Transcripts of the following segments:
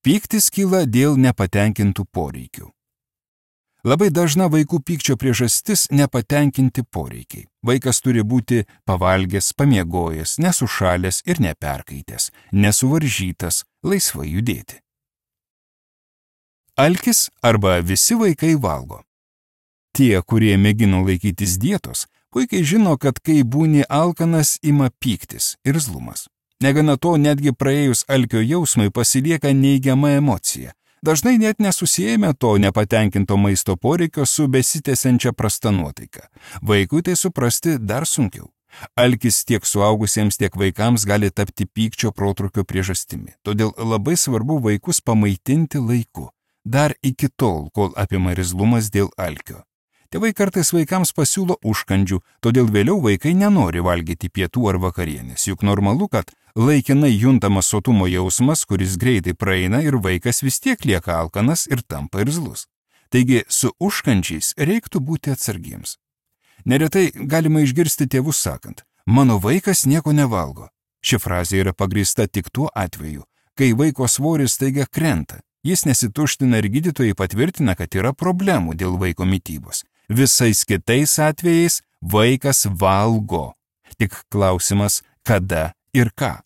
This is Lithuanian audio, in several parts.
Pyktis kyla dėl nepatenkintų poreikių. Labai dažna vaikų pykčio priežastis nepatenkinti poreikiai. Vaikas turi būti pavalgęs, pamiegojęs, nesušalęs ir neperkaitęs, nesuvaržytas, laisvai judėti. Alkis arba visi vaikai valgo. Tie, kurie mėgino laikytis dietos, puikiai žino, kad kai būni alkanas, ima pyktis ir irzlumas. Negana to, netgi praėjus alkio jausmui pasilieka neigiama emocija. Dažnai net nesusijame to nepatenkinto maisto poreikio su besitęsiančia prasta nuotaika. Vaikui tai suprasti dar sunkiau. Alkis tiek suaugusiems, tiek vaikams gali tapti pykčio protrūkio priežastimi. Todėl labai svarbu vaikus pamaitinti laiku, dar iki tol, kol apima irzlumas dėl alkio. Tėvai kartais vaikams pasiūlo užkandžių, todėl vėliau vaikai nenori valgyti pietų ar vakarienės, juk normalu, kad laikinai juntamas sotumo jausmas, kuris greitai praeina ir vaikas vis tiek lieka alkanas ir tampa irzlus. Taigi su užkandžiais reiktų būti atsargiems. Neretai galima išgirsti tėvus sakant, mano vaikas nieko nevalgo. Ši frazė yra pagrįsta tik tuo atveju, kai vaiko svoris staiga krenta. Jis nesituština ir gydytojai patvirtina, kad yra problemų dėl vaiko mitybos. Visais kitais atvejais vaikas valgo. Tik klausimas, kada ir ką.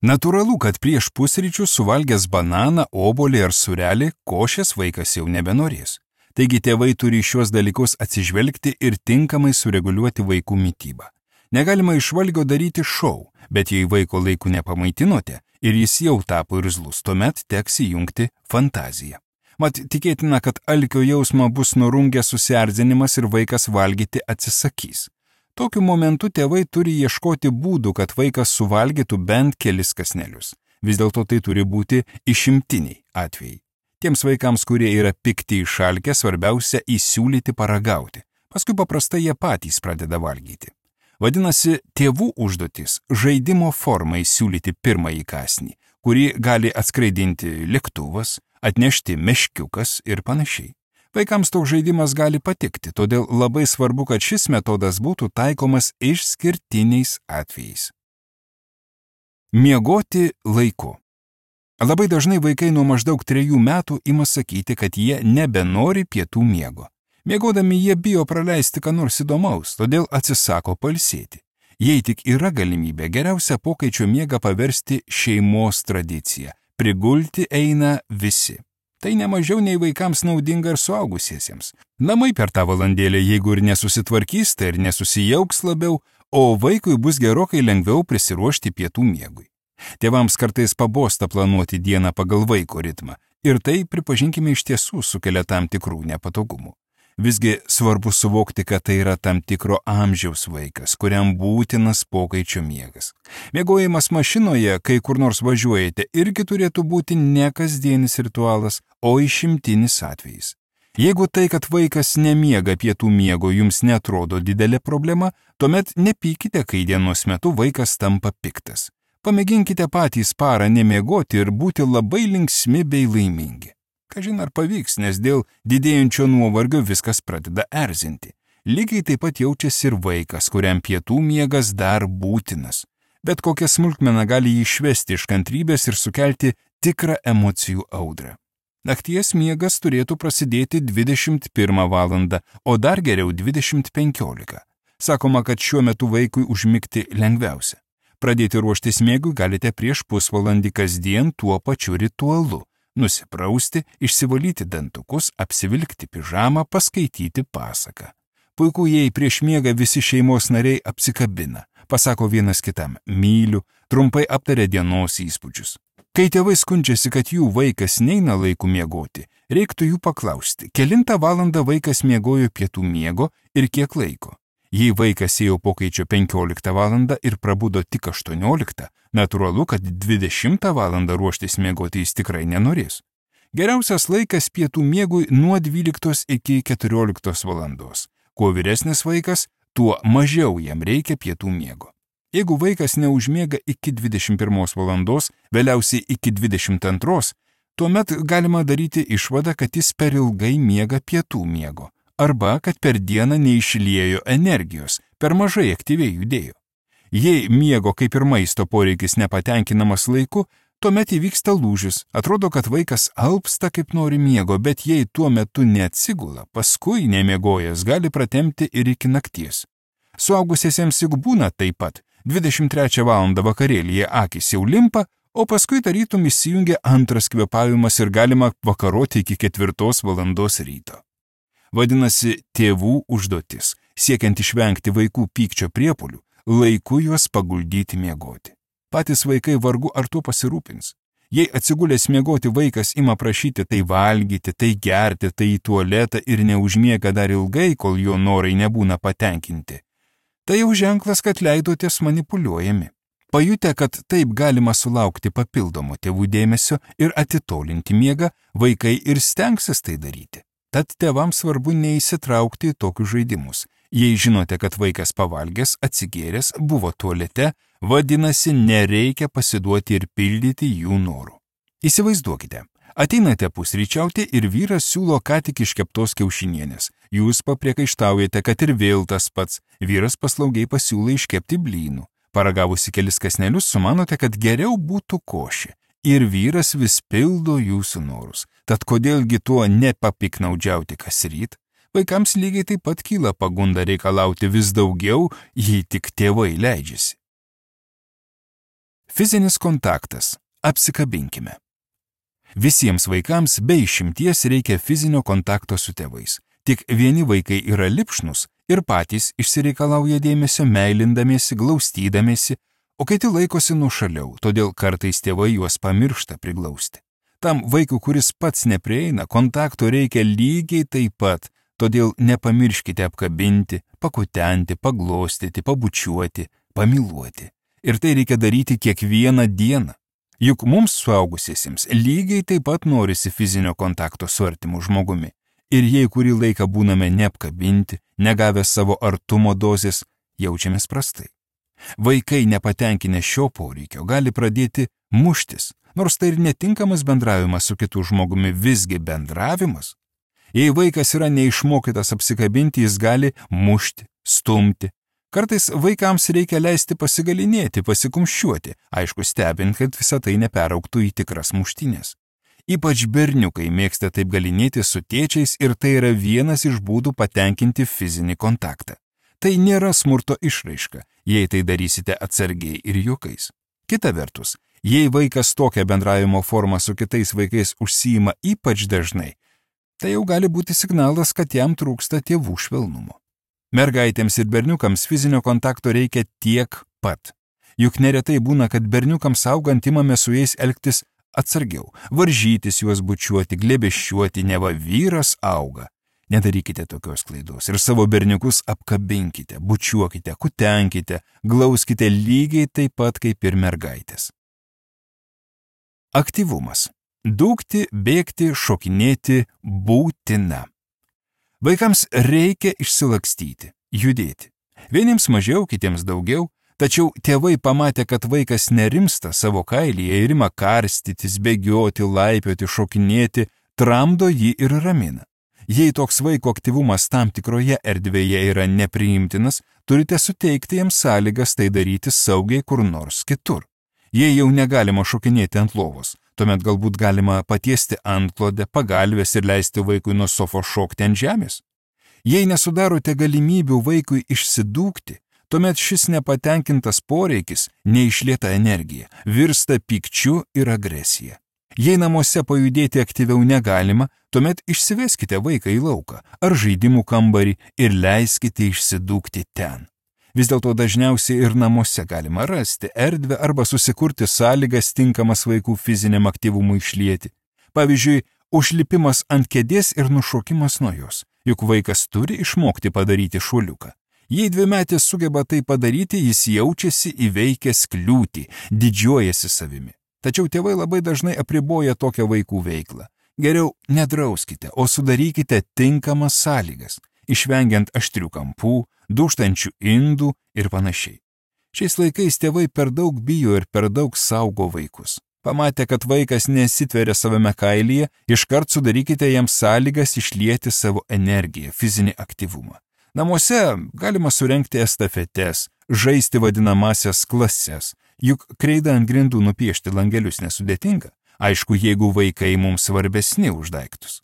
Natūralu, kad prieš pusryčius suvalgęs bananą, obuolį ar sūrelį, košės vaikas jau nebenorės. Taigi tėvai turi šios dalykus atsižvelgti ir tinkamai sureguliuoti vaikų mitybą. Negalima iš valgio daryti šou, bet jei vaiko laiku nepamaitinote ir jis jau tapo irzlus, tuomet teks įjungti fantaziją. Mat tikėtina, kad alkio jausmą bus nurungęs susierzinimas ir vaikas valgyti atsisakys. Tokiu momentu tėvai turi ieškoti būdų, kad vaikas suvalgytų bent kelis kąsnelius. Vis dėlto tai turi būti išimtiniai atvejai. Tiems vaikams, kurie yra pikti išalkę, svarbiausia įsiūlyti paragauti. Paskui paprastai jie patys pradeda valgyti. Vadinasi, tėvų užduotis žaidimo formai siūlyti pirmąjį kąsnį, kurį gali atskraidinti lėktuvas, atnešti meškiukas ir panašiai. Vaikams toks žaidimas gali patikti, todėl labai svarbu, kad šis metodas būtų taikomas išskirtiniais atvejais. Miegoti laiku. Labai dažnai vaikai nuo maždaug 3 metų ima sakyti, kad jie nebenori pietų miego. Miegodami jie bijo praleisti ką nors įdomaus, todėl atsisako pailsėti. Jei tik yra galimybė, geriausia pokaičio miegą paversti šeimos tradicija. Prigulti eina visi. Tai nemažiau nei vaikams naudinga ir suaugusiesiems. Namai per tą valandėlę, jeigu ir nesusitvarkys, tai ir nesusijauks labiau, o vaikui bus gerokai lengviau prisiruošti pietų miegui. Tėvams kartais pabosta planuoti dieną pagal vaiko ritmą ir tai, pripažinkime, iš tiesų sukelia tam tikrų nepatogumų. Visgi svarbu suvokti, kad tai yra tam tikro amžiaus vaikas, kuriam būtinas pokaičio miegas. Miegojimas mašinoje, kai kur nors važiuojate, irgi turėtų būti ne kasdienis ritualas, o išimtinis atvejis. Jeigu tai, kad vaikas nemiega pietų miego, jums netrodo didelė problema, tuomet nepykite, kai dienos metu vaikas tampa piktas. Pamėginkite patys parą nemiegoti ir būti labai linksmi bei laimingi. Kažin ar pavyks, nes dėl didėjančio nuovargio viskas pradeda erzinti. Lygiai taip pat jaučiasi ir vaikas, kuriam pietų miegas dar būtinas. Bet kokia smulkmena gali jį išvesti iš kantrybės ir sukelti tikrą emocijų audrą. Nakties miegas turėtų prasidėti 21 valandą, o dar geriau 20:15. Sakoma, kad šiuo metu vaikui užmigti lengviausia. Pradėti ruoštis miegui galite prieš pusvalandį kasdien tuo pačiu ritualu. Nusiprausti, išsivalyti dantukus, apsivilkti pižamą, paskaityti pasaką. Puiku, jei prieš miegą visi šeimos nariai apsikabina, pasako vienas kitam myliu, trumpai aptaria dienos įspūdžius. Kai tėvai skundžiasi, kad jų vaikas neina laiku miegoti, reiktų jų paklausti, kelintą valandą vaikas miegojo pietų miego ir kiek laiko. Jei vaikas ėjo pokaičio 15 valandą ir prabudo tik 18, natūralu, kad 20 valandą ruoštis miegoti jis tikrai nenorės. Geriausias laikas pietų miegui nuo 12 iki 14 valandos. Kuo vyresnis vaikas, tuo mažiau jam reikia pietų miego. Jeigu vaikas neužmiega iki 21 valandos, vėliausiai iki 22, tuomet galima daryti išvadą, kad jis per ilgai miega pietų miego. Arba kad per dieną neišliejo energijos, per mažai aktyviai judėjo. Jei miego kaip ir maisto poreikis nepatenkinamas laiku, tuomet įvyksta lūžis. Atrodo, kad vaikas alpsta kaip nori miego, bet jei tuo metu neatsigula, paskui nemiegojęs gali pratempti ir iki nakties. Suaugusiesiems juk būna taip pat. 23 valandą vakarėlyje akys jau limpa, o paskui tarytum įsijungia antras kvėpavimas ir galima vakaroti iki 4 valandos ryto. Vadinasi, tėvų užduotis, siekiant išvengti vaikų pykčio priepuolių, laiku juos paguldyti miegoti. Patys vaikai vargu ar tuo pasirūpins. Jei atsigulęs miegoti vaikas ima prašyti tai valgyti, tai gerti, tai į tualetą ir neužmiega dar ilgai, kol jo norai nebūna patenkinti, tai jau ženklas, kad leidotės manipuliuojami. Pajutę, kad taip galima sulaukti papildomo tėvų dėmesio ir atitolinti miegą, vaikai ir stengsis tai daryti. Tad tėvams svarbu neįsitraukti į tokius žaidimus. Jei žinote, kad vaikas pavalgęs, atsigėręs, buvo tualete, vadinasi, nereikia pasiduoti ir pildyti jų norų. Įsivaizduokite, ateinate pusryčiauti ir vyras siūlo ką tik iškeptos kiaušinienės. Jūs papriekaištaujate, kad ir vėl tas pats. Vyras paslaugiai pasiūlo iškepti blynų. Paragavusi kelis kąsnelius, sumanote, kad geriau būtų košė. Ir vyras vis pildo jūsų norus. Tad kodėlgi tuo nepapiknaudžiauti kasryt? Vaikams lygiai taip pat kyla pagunda reikalauti vis daugiau, jei tik tėvai leidžiasi. Fizinis kontaktas. Apsikabinkime. Visiems vaikams be išimties reikia fizinio kontakto su tėvais. Tik vieni vaikai yra lipšnus ir patys išsireikalauja dėmesio meilindamiesi, glaustydamiesi, o kiti laikosi nuošaliau, todėl kartais tėvai juos pamiršta priglausti. Tam vaikui, kuris pats neprieina, kontakto reikia lygiai taip pat, todėl nepamirškite apkabinti, pakutenti, paglostyti, pabučiuoti, pamyluoti. Ir tai reikia daryti kiekvieną dieną. Juk mums suaugusiesiems lygiai taip pat norisi fizinio kontakto su artimu žmogumi. Ir jei kurį laiką būname neapkabinti, negavę savo artumo dozės, jaučiamės prastai. Vaikai nepatenkinę šio poreikio gali pradėti muštis, nors tai ir netinkamas bendravimas su kitu žmogumi, visgi bendravimas. Jei vaikas yra neišmokytas apsikabinti, jis gali mušti, stumti. Kartais vaikams reikia leisti pasigalinėti, pasikumščiuoti, aišku stebint, kad visa tai neperaugtų į tikras muštynės. Ypač berniukai mėgsta taip galinėti su tėčiais ir tai yra vienas iš būdų patenkinti fizinį kontaktą. Tai nėra smurto išraiška, jei tai darysite atsargiai ir juokais. Kita vertus, jei vaikas tokią bendravimo formą su kitais vaikais užsiima ypač dažnai, tai jau gali būti signalas, kad jam trūksta tėvų švelnumo. Mergaitėms ir berniukams fizinio kontakto reikia tiek pat. Juk neretai būna, kad berniukams augant imame su jais elgtis atsargiau, varžytis juos bučiuoti, glėbesčiuoti, neva vyras auga. Nedarykite tokios klaidos ir savo berniukus apkabinkite, bučiuokite, kutenkite, glauskite lygiai taip pat kaip ir mergaitės. Aktyvumas. Dūkti, bėgti, šokinėti būtina. Vaikams reikia išsilakstyti, judėti. Vieniems mažiau, kitiems daugiau. Tačiau tėvai pamatė, kad vaikas nerimsta savo kailyje ir ima karstytis, bėgioti, laipioti, šokinėti, tramdo jį ir ramina. Jei toks vaiko aktyvumas tam tikroje erdvėje yra nepriimtinas, turite suteikti jiems sąlygas tai daryti saugiai kur nors kitur. Jei jau negalima šokinėti ant lovos, tuomet galbūt galima patiesti antklodę, pagalvės ir leisti vaikui nuo sofos šokti ant žemės. Jei nesudarote galimybių vaikui išsidūkti, tuomet šis nepatenkintas poreikis, neišlieta energija, virsta pykčiu ir agresija. Jei namuose pajudėti aktyviau negalima, tuomet išsiveskite vaiką į lauką ar žaidimų kambarį ir leiskite išsidūkti ten. Vis dėlto dažniausiai ir namuose galima rasti erdvę arba susikurti sąlygas tinkamas vaikų fiziniam aktyvumui išlieti. Pavyzdžiui, užlipimas ant kėdės ir nušokimas nuo jos, juk vaikas turi išmokti padaryti šuoliuką. Jei dvimetis sugeba tai padaryti, jis jaučiasi įveikęs kliūtį, didžiuojasi savimi. Tačiau tėvai labai dažnai apriboja tokią vaikų veiklą. Geriau nedrauskite, o sudarykite tinkamas sąlygas, išvengiant aštrių kampų, dūžtančių indų ir panašiai. Šiais laikais tėvai per daug bijo ir per daug saugo vaikus. Pamatę, kad vaikas nesitveria savame kailyje, iškart sudarykite jam sąlygas išlieti savo energiją, fizinį aktyvumą. Namuose galima surengti estafetes, žaisti vadinamasias klases. Juk kreida ant grindų nupiešti langelius nesudėtinga, aišku, jeigu vaikai mums svarbesni už daiktus.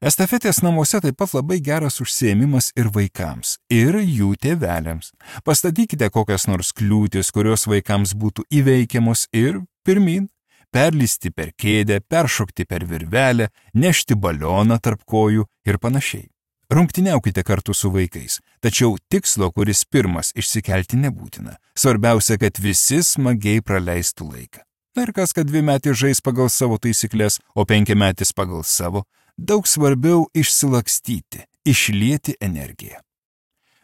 Estafetės namuose taip pat labai geras užsiėmimas ir vaikams, ir jų tėveliams. Pastatykite kokias nors kliūtis, kurios vaikams būtų įveikiamos ir pirmin. Perlysti per kėdę, peršokti per virvelę, nešti balioną tarp kojų ir panašiai. Rungtyniaukite kartu su vaikais, tačiau tikslo, kuris pirmas, išsikelti nebūtina. Svarbiausia, kad visi smagiai praleistų laiką. Na ir kas, kad 2-metis žais pagal savo taisyklės, o 5-metis pagal savo, daug svarbiau išsilakstyti, išlieti energiją.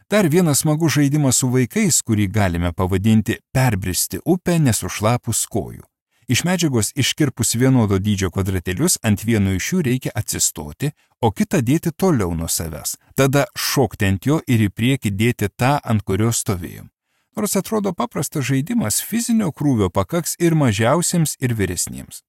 Dar vienas smagus žaidimas su vaikais, kurį galime pavadinti perbristi upę nesušlapus kojų. Iš medžiagos iškirpus vienodo dydžio kvadratėlius ant vieno iš jų reikia atsistoti, o kitą dėti toliau nuo savęs. Tada šokti ant jo ir į priekį dėti tą, ant kurio stovėjom. Nors atrodo paprastas žaidimas, fizinio krūvio pakaks ir mažiausiems, ir vyresniems.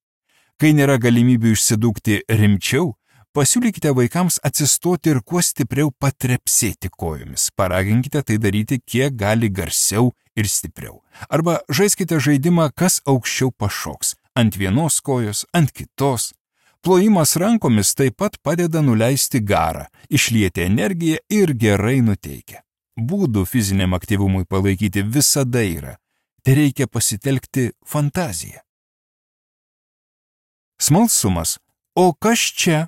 Kai nėra galimybių išsidūkti rimčiau, pasiūlykite vaikams atsistoti ir kuo stipriau patrepsėti kojomis. Paraginkite tai daryti kiek gali garsiau ir stipriau. Arba žaiskite žaidimą, kas aukščiau pašoks. Ant vienos kojos, ant kitos. Plojimas rankomis taip pat padeda nuleisti garą, išlieti energiją ir gerai nuteikia. Būdų fiziniam aktyvumui palaikyti visada yra. Tereikia pasitelkti fantaziją. Smalsumas. O kas čia?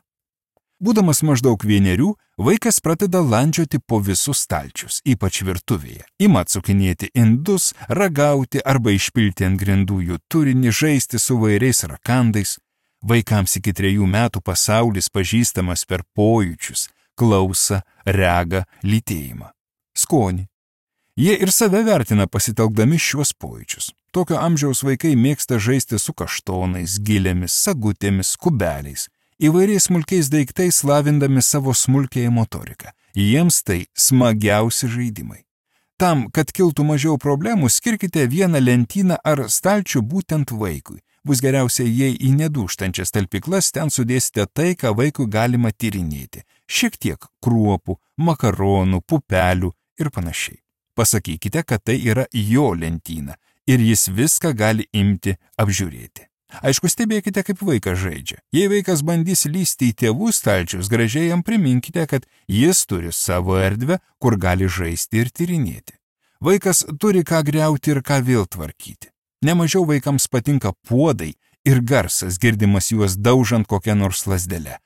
Būdamas maždaug 1, vaikas pradeda landžioti po visus stalčius, ypač virtuvėje. Ima atsukinėti indus, ragauti arba išpilti ant grindų jų turinį, žaisti su vairiais rakandais. Vaikams iki 3 metų pasaulis pažįstamas per pojūčius, klausą, regą, lytėjimą, skonį. Jie ir save vertina pasitelkdami šiuos pojūčius. Tokio amžiaus vaikai mėgsta žaisti su kaštonais, gilėmis, sagutėmis, kubeliais, įvairiais smulkiais daiktais lavindami savo smulkiąją motoriką. Jiems tai smagiausi žaidimai. Tam, kad kiltų mažiau problemų, skirkite vieną lentyną ar stalčių būtent vaikui. Bus geriausia, jei į nedūžtančias talpyklas ten sudėsite tai, ką vaikui galima tyrinėti. Šiek tiek kruopų, makaronų, pupelių ir panašiai. Pasakykite, kad tai yra jo lentyna ir jis viską gali imti apžiūrėti. Aišku, stebėkite, kaip vaikas žaidžia. Jei vaikas bandys lysti į tėvų stalčius, gražiai jam priminkite, kad jis turi savo erdvę, kur gali žaisti ir tyrinėti. Vaikas turi ką griauti ir ką vėl tvarkyti. Nemažiau vaikams patinka puodai ir garsas, girdimas juos daužant kokią nors lazdelę.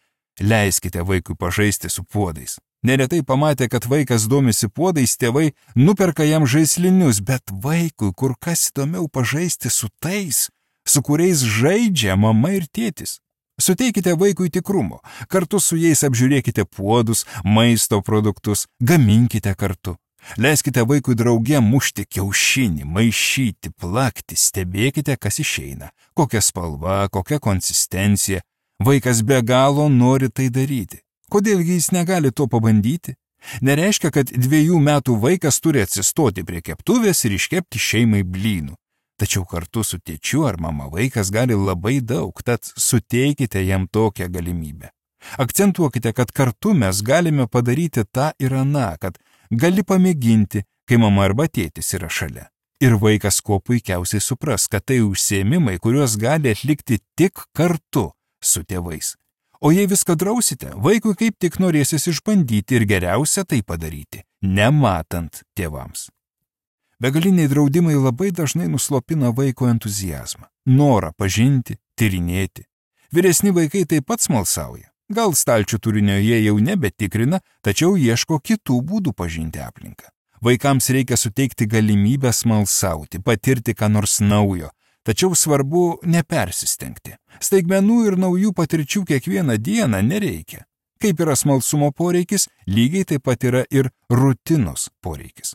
Leiskite vaikui pažaisti su puodais. Neretai pamatę, kad vaikas domisi puodais, tėvai nuperka jam žaislinius, bet vaikui kur kas įdomiau pažaisti su tais, su kuriais žaidžia mama ir tėtis. Suteikite vaikui tikrumo, kartu su jais apžiūrėkite puodus, maisto produktus, gaminkite kartu. Leiskite vaikui drauge mušti kiaušinį, maišyti, plakti, stebėkite, kas išeina, kokia spalva, kokia konsistencija. Vaikas be galo nori tai daryti. Kodėlgi jis negali to pabandyti? Nereiškia, kad 2 metų vaikas turi atsistoti prie keptuvės ir iškepti šeimai blynų. Tačiau kartu su tėčiu ar mama vaikas gali labai daug, tad suteikite jam tokią galimybę. Akcentuokite, kad kartu mes galime padaryti tą ir aną, kad gali pamėginti, kai mama arba tėtis yra šalia. Ir vaikas kuo puikiausiai supras, kad tai užsiėmimai, kuriuos gali atlikti tik kartu su tėvais. O jei viską drausite, vaikui kaip tik norėsis išbandyti ir geriausia tai padaryti, nematant tėvams. Begaliniai draudimai labai dažnai nuslopina vaiko entuziazmą, norą pažinti, tyrinėti. Vyresni vaikai taip pat smalsauja. Gal stalčių turinio jie jau nebetikrina, tačiau ieško kitų būdų pažinti aplinką. Vaikams reikia suteikti galimybę smalsauti, patirti ką nors naujo, tačiau svarbu nepersistengti. Staigmenų ir naujų patirčių kiekvieną dieną nereikia. Kaip yra smalsumo poreikis, lygiai taip pat yra ir rutinos poreikis.